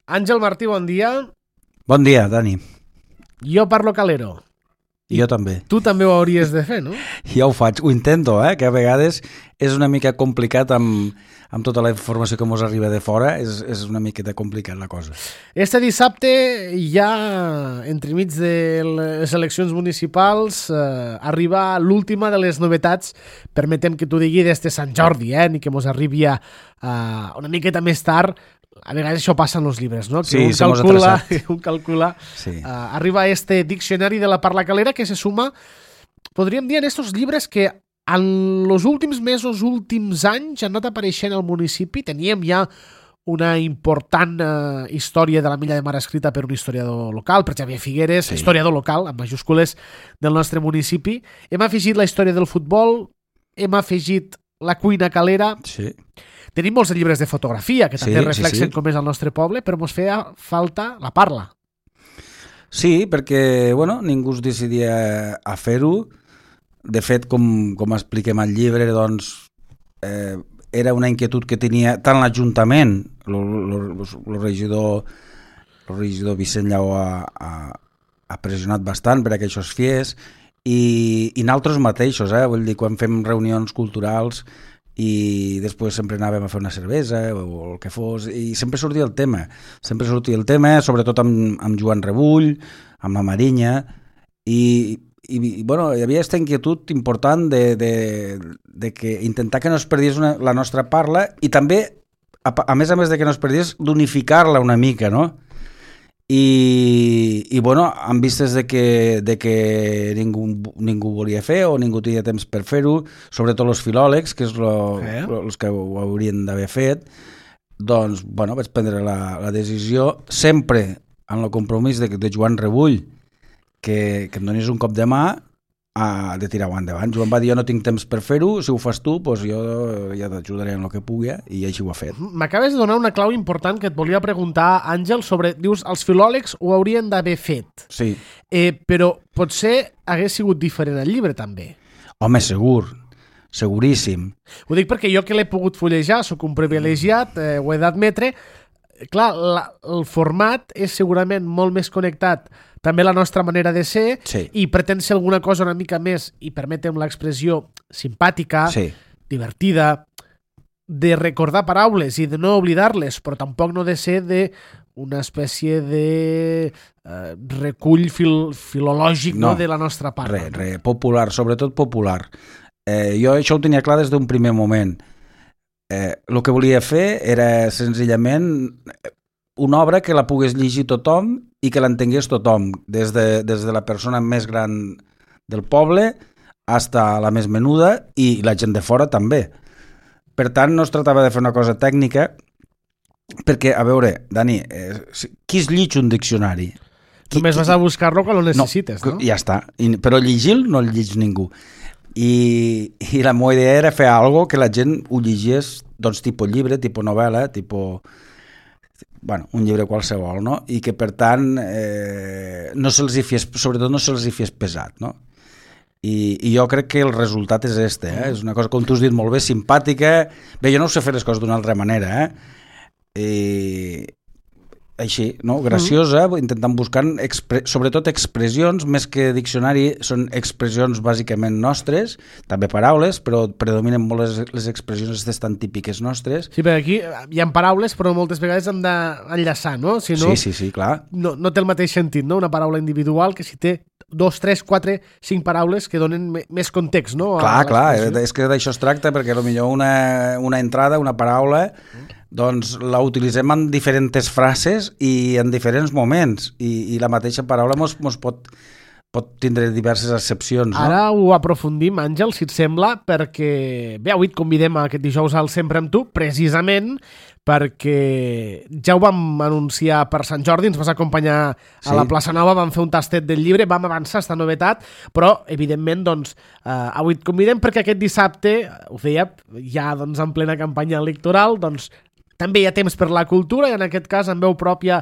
Àngel Martí, bon dia. Bon dia, Dani. Jo parlo calero. Jo també. Tu també ho hauries de fer, no? Ja ho faig, ho intento, que a vegades és una mica complicat amb tota la informació que ens arriba de fora, és una miqueta complicat la cosa. Este dissabte ja, entremig de les eleccions municipals, arriba l'última de les novetats, permetem que t'ho digui, d'este Sant Jordi, ni que ens arribi una miqueta més tard. A vegades això passa en els llibres, no? Que sí, un calcula. Sí. Arriba este diccionari de la parla calera que se suma, podríem dir, en estos llibres que en els últims mesos, últims anys, han anat apareixent al municipi. Teníem ja una important història de la Milla de Mar escrita per un historiador local, per Xavier Figueres, sí. Historiador local, amb majúscules, del nostre municipi. Hem afegit la història del futbol, hem afegit la cuina calera. Sí. Tenim molts llibres de fotografia que també reflexen com és el nostre poble, però ens feia falta la parla. Sí, perquè ningú es decidia a fer-ho. De fet, com expliquem al llibre, doncs, era una inquietud que tenia tant l'Ajuntament, el regidor Vicent Lleó ha pressionat bastant per a que això es fes, i nosaltres mateixos, vull dir, quan fem reunions culturals i després sempre anàvem a fer una cervesa o el que fos, i sempre sortia el tema, sobretot amb Joan Rebull, amb la Marinya, i hi havia aquesta inquietud important de que intentar que no es perdés la nostra parla, i també, a més de que no es perdés, d'unificar-la una mica, no? I en vistes de que ningú volia fer o ningú tenia temps per fer-ho, sobretot els filòlegs, que és els que ho haurien d'haver fet, doncs vaig prendre la decisió, sempre en el compromís de Joan Rebull, que em donis un cop de mà de tirar-ho endavant. Joan va dir, jo no tinc temps per fer-ho, si ho fas tu, doncs jo ja t'ajudaré en el que pugui, i així ho ha fet. M'acabes de donar una clau important que et volia preguntar, Àngel, sobre, dius, els filòlegs ho haurien d'haver fet. Sí. Però potser hagués sigut diferent el llibre, també. Home, seguríssim. Ho dic perquè jo que l'he pogut fullejar, sóc un privilegiat, ho he d'admetre. Clar, el format és segurament molt més connectat també la nostra manera de ser, sí. I pretén ser alguna cosa una mica més, i permetem l'expressió, simpàtica, sí. Divertida, de recordar paraules i de no oblidar-les, però tampoc no de ser una espècie de recull filològic de la nostra part. Popular, sobretot popular. Jo això ho tenia clar des d'un primer moment. El que volia fer era senzillament una obra que la pogués llegir tothom i que l'entengués tothom, des de la persona més gran del poble fins a la més menuda, i la gent de fora també. Per tant, no es tractava de fer una cosa tècnica, perquè, a veure, Dani, qui es llig un diccionari? Només vas a buscar-lo quan ho necessites, no? Ja està, però llegir-lo no el llig ningú. I la meva idea era fer alguna cosa que la gent ho llegís, doncs, tipus llibre, tipus novel·la, tipus un llibre qualsevol, no? I que, per tant, no se'ls hi fes, sobretot no se'ls hi fes pesat, no? I jo crec que el resultat és és una cosa, com tu has dit molt bé, simpàtica. Bé, jo no ho sé fer les coses d'una altra manera, així, no? Graciosa, intentant buscar sobretot expressions, més que diccionari, són expressions bàsicament nostres, també paraules, però predominen molt les expressions tan típiques nostres. Sí, perquè aquí hi ha paraules, però moltes vegades han d'enllaçar, no? Si no, sí, clar. No té el mateix sentit, no? Una paraula individual que si té 2, 3, 4, 5 paraules que donen més context, no? Clar, és que d'això es tracta, perquè potser una entrada, una paraula, doncs la utilitzem en diferents frases i en diferents moments, i la mateixa paraula mos pot tindre diverses accepcions, no? Ara ho aprofundim, Àngel, si et sembla, perquè bé, avui et convidem aquest dijous al Sempre amb tu, precisament perquè ja ho vam anunciar per Sant Jordi, ens vas acompanyar a la Plaça Nova, vam fer un tastet del llibre, vam avançar esta novetat, però evidentment doncs, avui et convidem perquè aquest dissabte, ho feia ja doncs, en plena campanya electoral, doncs també hi ha temps per la cultura, i en aquest cas en veu pròpia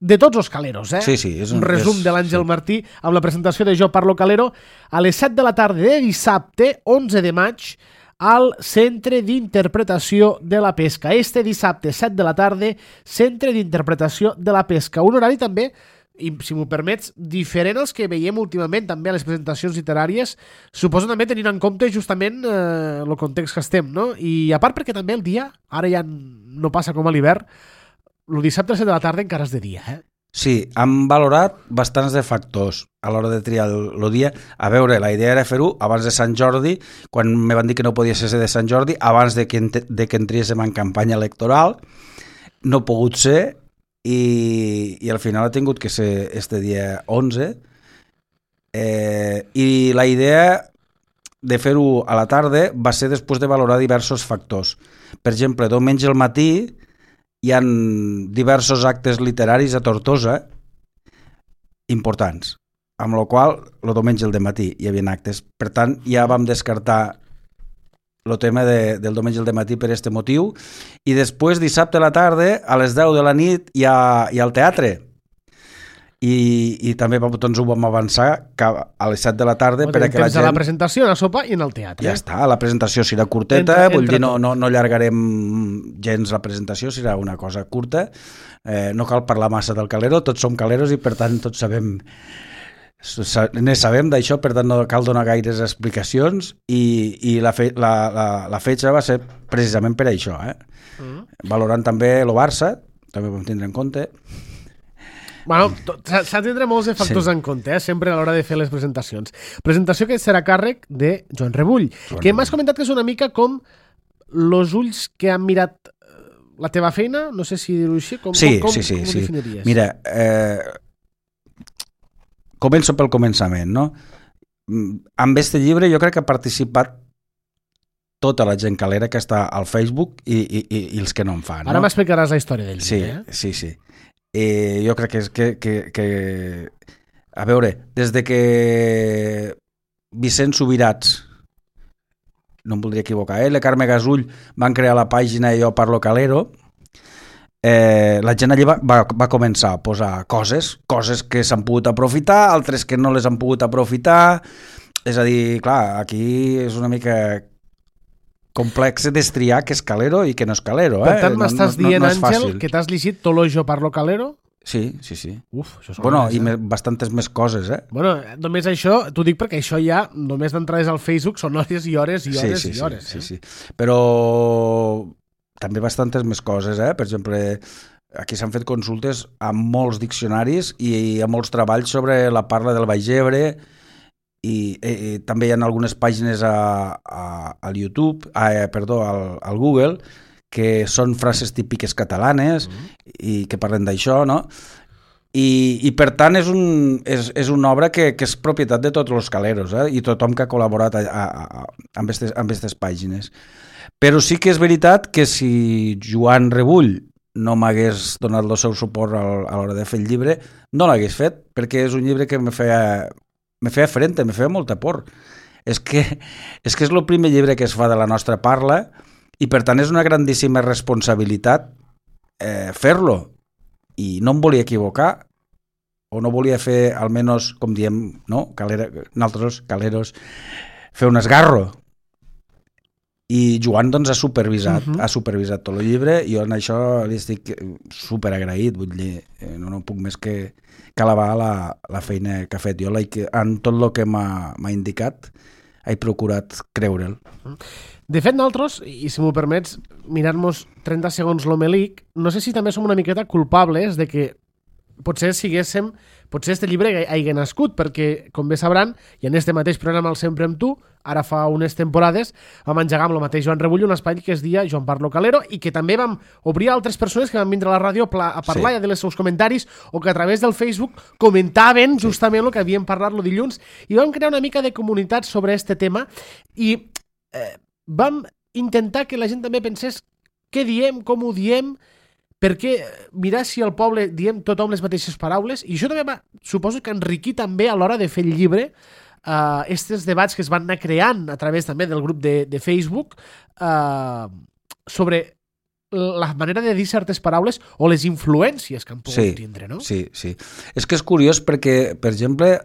de tots els caleros, Sí, és un resum de l'Àngel Martí amb la presentació de Jo Parlo Calero a les 7 de la tarda de dissabte, 11 de maig, al Centre d'Interpretació de la Pesca. Este dissabte, 7 de la tarda, Centre d'Interpretació de la Pesca. Un horari també, i si m'ho permets, diferent als que veiem últimament també a les presentacions literàries, suposo també tenint en compte justament el context que estem, no? I a part perquè també el dia, ara ja no passa com a l'hivern, el dissabte a 7 de la tarda encara és de dia, Sí, han valorat bastants de factors a l'hora de triar el dia. A veure, la idea era fer-ho abans de Sant Jordi, quan me van dir que no podia ser de Sant Jordi, abans de que entriéssim en campanya electoral. No ha pogut ser i al final ha tingut que ser este dia 11. I la idea de fer-ho a la tarda va ser després de valorar diversos factors. Per exemple, diumenge al matí hi ha diversos actes literaris a Tortosa importants, amb la qual el diumenge al dematí hi havia actes. Per tant, ja vam descartar el tema del diumenge al dematí per aquest motiu, i després dissabte a la tarda a les 10 de la nit hi ha el teatre. I també doncs, ho vam avançar a les 7 de la tarda perquè la gent... a la presentació, a la sopa i en el teatre. Ja està, la presentació serà curteta, vull dir, no allargarem gens la presentació, serà una cosa curta, no cal parlar massa del calero, tots som caleros i per tant tots sabem d'això, per tant no cal donar gaires explicacions, i la fetge va ser precisament per això, valorant també el Barça, també ho vam tindre en compte. Bueno, s'ha de tindre molts de factors en compte, sempre a l'hora de fer les presentacions. Presentació que serà càrrec de Joan Rebull, que m'has comentat que és una mica com los ulls que han mirat la teva feina, no sé si dir-ho així, com ho definiries? Mira, començo pel començament, no? Amb este llibre jo crec que ha participat tota la gent calera que està al Facebook i els que no en fan. Ara m'explicaràs la història del llibre. Sí. Jo crec que a veure, des de que Vicent Subirats, no em voldria equivocar, la Carme Gasull van crear la pàgina Jo Parlo Calero, la gent allà va començar a posar coses que s'han pogut aprofitar, altres que no les han pogut aprofitar. És a dir, clar, aquí és una mica complex destriar què és calero i què no és calero. Per tant, m'estàs dient, Àngel, que t'has llegit tot lo Jo Parlo Calero? Sí. Uf, això és i bastantes més coses, Bueno, només això, t'ho dic perquè això ja, només d'entrades al Facebook, són hores i hores i hores i hores. Sí. Però també bastantes més coses, Per exemple, aquí s'han fet consultes a molts diccionaris i a molts treballs sobre la parla del Baix Ebre, i també hi ha algunes pàgines al YouTube, al Google, que són frases típiques catalanes i que parlen d'això, no? I per tant és una obra que és propietat de tots els caleros, i tothom que ha col·laborat amb aquestes pàgines. Però sí que és veritat que si Joan Rebull no m'hagués donat el seu suport a l'hora de fer el llibre, no l'hagués fet, perquè és un llibre que me feia frente, me feia molta por. És que és el primer llibre que es fa de la nostra parla i per tant és una grandíssima responsabilitat fer-lo, i no em volia equivocar o no volia fer, almenys, com diem, no? Nosaltres, caleros, fer un esgarro. I Joan doncs ha supervisat tot el llibre, i jo en això li estic superagraït, vull dir, no puc més que alabar la feina que ha fet. Jo en tot el que m'ha indicat he procurat creure'l. De fet, nosaltres, i si m'ho permets, mirar-nos 30 segons l'homelic, no sé si també som una miqueta culpables de que potser este llibre hagi nascut, perquè, com bé sabran, i en este mateix programa el Sempre amb tu, ara fa unes temporades, vam engegar amb el mateix Joan Rebull un espai que es dia Joan Parlo Calero, i que també vam obrir a altres persones que van vindre a la ràdio a parlar i a dir els seus comentaris, o que a través del Facebook comentaven justament el que havíem parlat el dilluns, i vam crear una mica de comunitat sobre este tema, i vam intentar que la gent també pensés què diem, com ho diem, perquè mirar si al poble diem tothom les mateixes paraules, i això també suposo que enriquir també a l'hora de fer el llibre aquests debats que es van anar creant a través també del grup de Facebook sobre la manera de dir certes paraules o les influències que han pogut tindre, no? Sí. És que és curiós perquè, per exemple,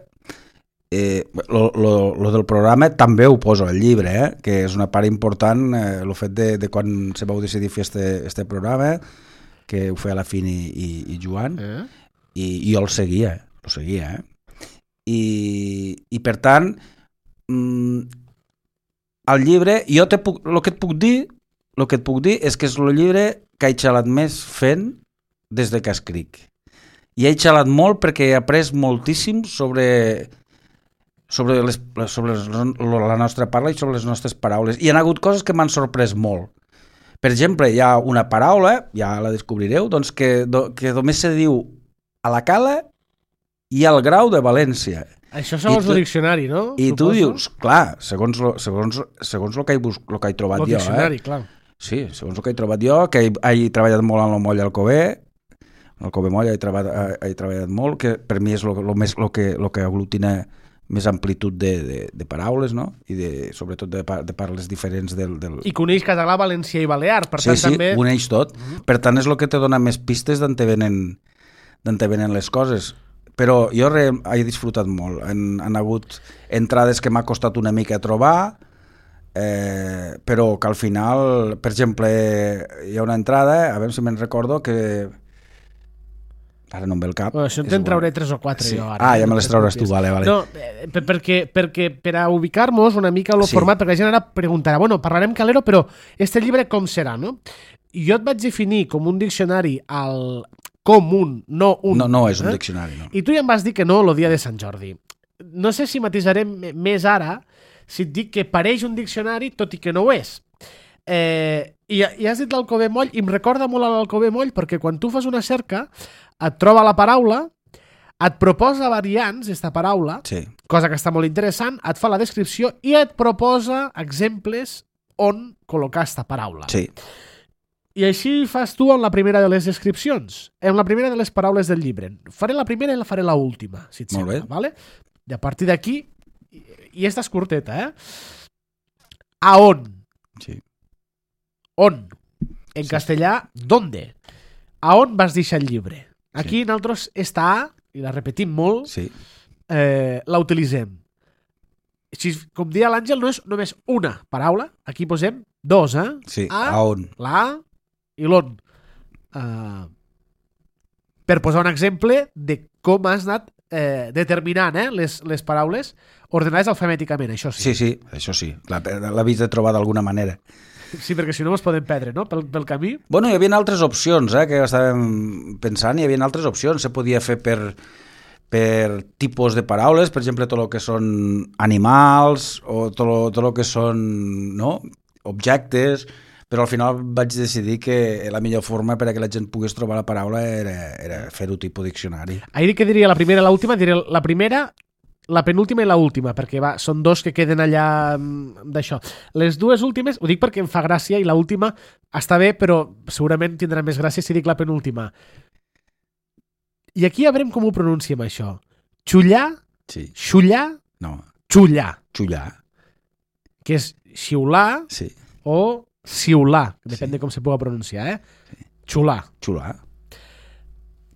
lo del programa també ho poso al llibre, que és una part important, el fet de quan se vau decidir fer este programa, que ho feia la Fini i Joan, i jo el seguia. I per tant, el llibre, jo el que et puc dir és que és el llibre que he xalat més fent des de que escric. I he xalat molt perquè he après moltíssim sobre la nostra parla i sobre les nostres paraules. I hi ha hagut coses que m'han sorprès molt. Per exemple, hi ha una paraula, ja la descobrireu, doncs que només se diu a la Cala i al Grau de València. Això segons el diccionari, no? I tu dius, clar, segons el que he trobat jo. El diccionari, clar. Sí, segons el que he trobat jo, que he treballat molt en el moll Alcover, en el Alcover moll he treballat molt, que per mi és el que aglutina més amplitud de paraules, no? I sobretot de parles diferents del... I que uneix català, valencià i balear, per tant també... Sí, uneix tot. Per tant, és el que te dona més pistes d'on te venen les coses. Però jo he disfrutat molt. Han hagut entrades que m'ha costat una mica trobar, però que al final, per exemple, hi ha una entrada, a veure si me'n recordo, que... Ara no em ve el cap. Això te'n trauré 3 o 4 jo ara. Ja me les trauràs tu, vale. No, perquè per a ubicar-nos una mica el format, perquè la gent ara preguntarà, bueno, parlarem calero, però este llibre com serà, no? Jo et vaig definir com un diccionari com un, no un. No és un diccionari, no. I tu ja em vas dir que no el dia de Sant Jordi. No sé si matisarem més ara si et dic que pareix un diccionari, tot i que no ho és. I has dit l'Alcover moll, i em recorda molt a l'Alcover moll, perquè quan tu fas una cerca et troba la paraula, et proposa variants d'esta paraula, cosa que està molt interessant, et fa la descripció i et proposa exemples on col·locar esta paraula. Sí. I així fas tu en la primera de les descripcions, en la primera de les paraules del llibre. Faré la primera i la faré l'última, si et sembla. Vale? I a partir d'aquí, i esta és curteta, a on? Sí. On? En castellà, ¿dónde? A on vas deixar el llibre? Aquí nosaltres esta A, i la repetim molt, la utilitzem. Com deia l'Àngel, no és només una paraula, aquí posem dos, Sí, a on. La A i l'on. Per posar un exemple de com has anat determinant les paraules ordenades alfabèticament, això sí. Sí, això sí. L'havies de trobar d'alguna manera. Sí, perquè si no ens podem perdre, no?, pel camí. Bueno, hi havia altres opcions, que estàvem pensant, hi havia altres opcions. Se podia fer per tipus de paraules, per exemple, tot el que són animals o tot el que són objectes, però al final vaig decidir que la millor forma per a que la gent pogués trobar la paraula era fer-ho tipus diccionari. Ahir que diria la primera i l'última, diré la primera, la penúltima i l'última, perquè són dos que queden allà d'això. Les dues últimes, ho dic perquè em fa gràcia, i l'última està bé, però segurament tindrà més gràcia si dic la penúltima. I aquí ja veurem com ho pronunciem, això. Xullar, xullar, xullar. Xullar. Que és xiular o xiular, depèn de com se pugui pronunciar, Xular.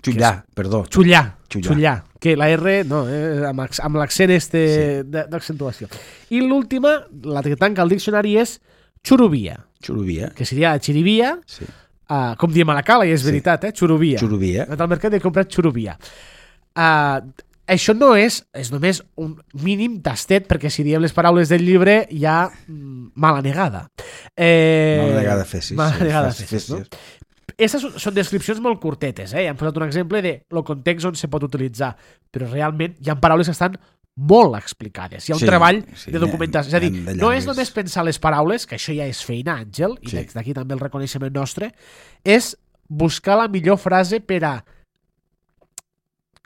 Xullar, perdó. Xullar, que la R, no, amb l'accent d'accentuació. I l'última, la que tanca el diccionari, és xurubia. Que seria xirivia, com diem a la Cala, i és veritat, xurubia. Al mercat he comprat xurubia. Això no és només un mínim tastet, perquè si diem les paraules del llibre hi ha mala negada. Mala negada fesis, no? Aquestes són descripcions molt curtetes, Ja hem posat un exemple de el context on se pot utilitzar, però realment hi ha paraules que estan molt explicades. Hi ha un treball de documentació. És a dir, no és només pensar les paraules, que això ja és feina, Àngel, i d'aquí també el reconeixement nostre, és buscar la millor frase per a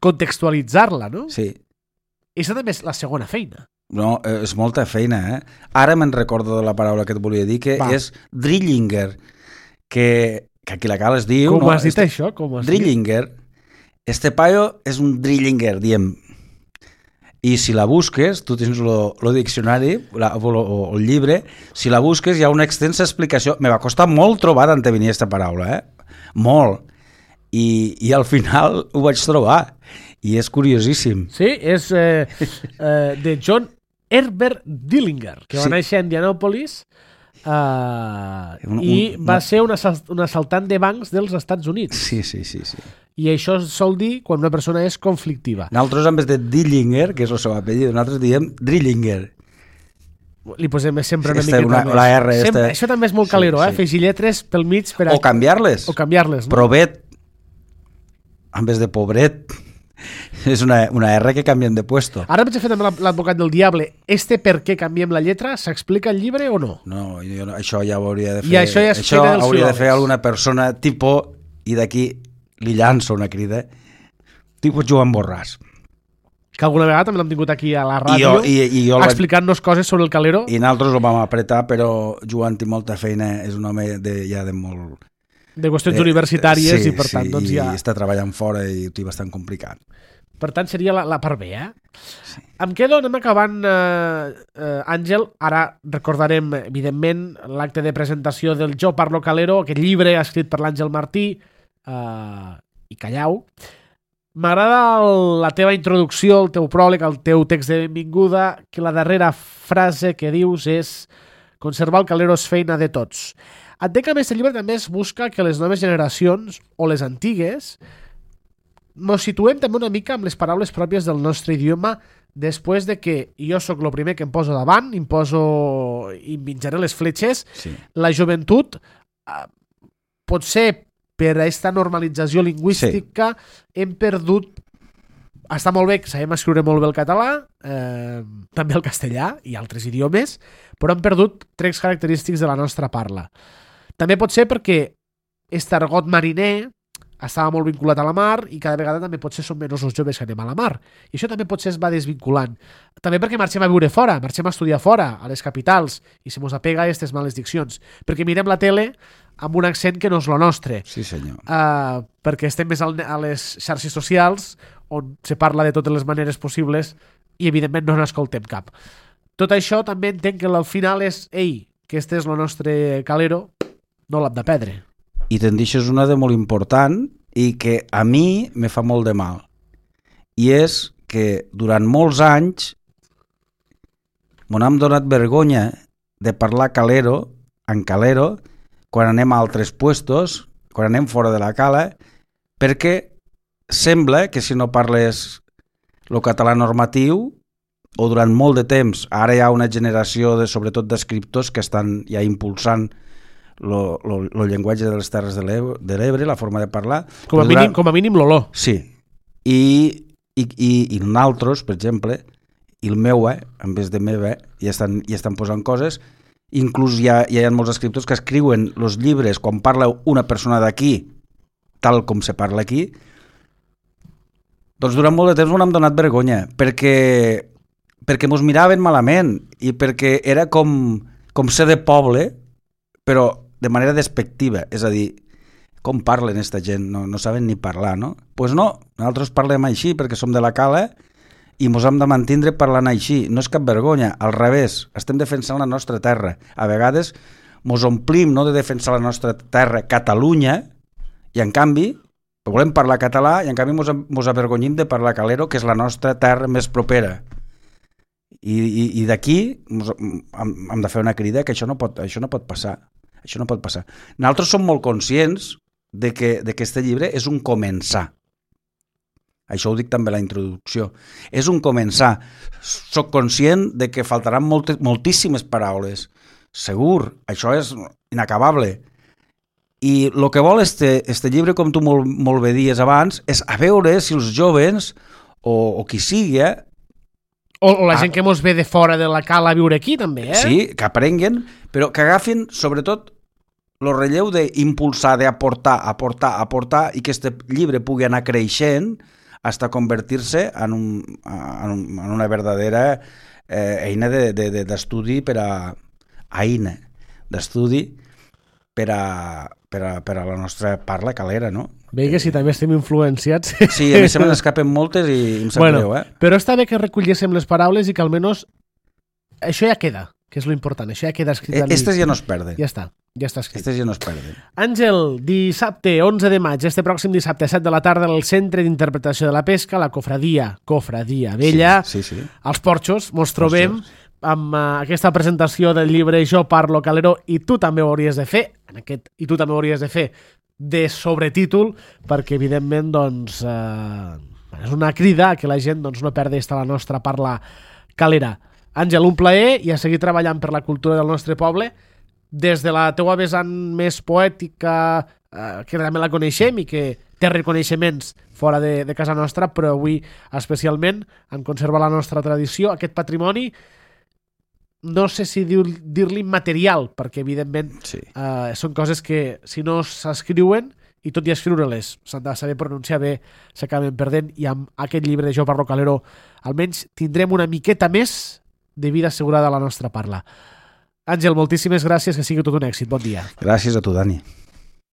contextualitzar-la, no? Sí. I això també és la segona feina. No, és molta feina, Ara me'n recordo de la paraula que et volia dir, que és Drillinger, que aquí la Cala es diu... Com has dit això? Drillinger. Este paio és un Drillinger, diem. I si la busques, tu tens el diccionari, o el llibre, si la busques hi ha una extensa explicació. Me va costar molt trobar d'on venia aquesta paraula, molt. i al final ho vaig trobar i és curiosíssim. Sí, és de John Herbert Dillinger, que va néixer a Indianapolis i va ser un assaltant de bancs dels Estats Units. Sí. I això sol dir quan una persona és conflictiva. Nosaltres, en vez de Dillinger, que és el seu apellido, nosaltres diem Drillinger. Li posem sempre una miqueta més. La R Això també és molt calero, afegir lletres pel mig per o canviar-les. No? Provet, en vez de pobret. És una R que canviem de puesto. Ara vaig a fer també l'advocat del diable. Per què canviem la lletra? S'explica al llibre o no? No, això ja ho hauria de fer. I això ja això hauria de fer alguna persona tipo, i d'aquí li llanço una crida, tipus Joan Borràs. Que alguna vegada també l'hem tingut aquí a la ràdio explicant-nos coses sobre el calero. I nosaltres ho vam apretar, però Joan té molta feina, és un home ja de molt... De qüestions universitàries i per tant doncs ja... i està treballant fora i ho té bastant complicat. Per tant seria la part B, Sí. Em quedo, anem acabant, Àngel. Ara recordarem, evidentment, l'acte de presentació del Jo Parlo Calero, aquest llibre escrit per l'Àngel Martí i Callau. M'agrada la teva introducció, el teu pròleg, el teu text de benvinguda, que la darrera frase que dius és conservar el calero és feina de tots. Entenc que a més el llibre també es busca que les noves generacions, o les antigues, ens situem també una mica amb les paraules pròpies del nostre idioma després de que jo sóc el primer que em poso davant, i menjaré les fletxes. Sí. La joventut, potser per aquesta normalització lingüística, hem perdut... Està molt bé que sabem escriure molt bé el català, també el castellà i altres idiomes, però hem perdut trets característics de la nostra parla. També pot ser perquè aquest argot mariner estava molt vinculat a la mar i cada vegada també potser som menys els joves que anem a la mar. I això també potser es va desvinculant. També perquè marxem a viure fora, marxem a estudiar fora, a les capitals, i se mos apega a aquestes males diccions. Perquè mirem la tele amb un accent que no és el nostre. Sí, senyor. Perquè estem més a les xarxes socials on se parla de totes les maneres possibles i evidentment no n'escoltem cap. Tot això també entenc que al final és que este és el nostre calero, no l'hem de perdre. I te'n deixes una de molt important i que a mi me fa molt de mal. I és que durant molts anys m'on hem donat vergonya de parlar en calero quan anem a altres puestos, quan anem fora de la cala, perquè sembla que si no parles el català normatiu, o durant molt de temps, ara hi ha una generació sobretot d'escriptors que estan ja impulsant el llenguatge de les Terres de l'Ebre, la forma de parlar. Com a mínim l'olor. Sí. I nosaltres, per exemple, i el meu, en vez de meva, ja estan posant coses. Inclús hi ha molts escriptors que escriuen els llibres quan parla una persona d'aquí, tal com se parla aquí. Doncs durant molt de temps m'han donat vergonya, perquè mos miraven malament i perquè era com ser de poble, però de manera despectiva, és a dir, com parlen aquesta gent? No saben ni parlar, no? Doncs pues no, nosaltres parlem així perquè som de la cala i mos hem de mantindre parlant així. No és cap vergonya, al revés, estem defensant la nostra terra. A vegades mos omplim de defensar la nostra terra, Catalunya, i en canvi volem parlar català i en canvi mos avergonyim de parlar calero, que és la nostra terra més propera. I d'aquí hem de fer una crida que això no pot passar. Això no pot passar. Nosaltres som molt conscients de que aquest llibre és un començar. Això ho dic també a la introducció. És un començar. Soc conscient de que faltaran moltíssimes paraules. Segur, això és inacabable. I el que vol este llibre, com tu molt bé dies abans, és a veure si els joves, o qui sigui, o la gent que mos ve de fora de la cala a viure aquí, també, Sí, que aprenguen, però que agafin, sobretot, el relleu d'impulsar, d'aportar, aportar, i que aquest llibre pugui anar creixent fins a convertir-se en una verdadera eina d'estudi per a la nostra parla calera, no? Bé que si també estem influenciats. Sí, a mi se me n'escapen moltes i em sap greu, Però està bé que recollíssim les paraules i que almenys això ja queda. que és lo important. Això ja queda escrit. Estes ja no es perden. Ja està escrit. Estes ja no es perden. Àngel, dissabte 11 de maig, este pròxim dissabte a 7 de la tarda, al Centre d'Interpretació de la Pesca, la Cofradia Vella, Sí. als Porxos, mos trobem amb aquesta presentació del llibre Jo parlo calero i tu també ho hauries de fer, i tu també ho hauries de fer de sobretítol, perquè evidentment doncs, és una crida que la gent doncs, no perdi la nostra parla calera. Àngel, un plaer i a seguir treballant per la cultura del nostre poble des de la teua vessant més poètica, que també la coneixem i que té reconeixements fora de casa nostra, però avui especialment en conserva la nostra tradició, aquest patrimoni, no sé si dir-li material, perquè evidentment són coses que si no s'escriuen, i tot i escriure-les s'han de saber pronunciar bé, s'acaben perdent, i amb aquest llibre de Jo parlo calero almenys tindrem una miqueta més de vida assegurada a la nostra parla. Àngel, moltíssimes gràcies, que sigui tot un èxit. Bon dia. Gràcies a tu, Dani.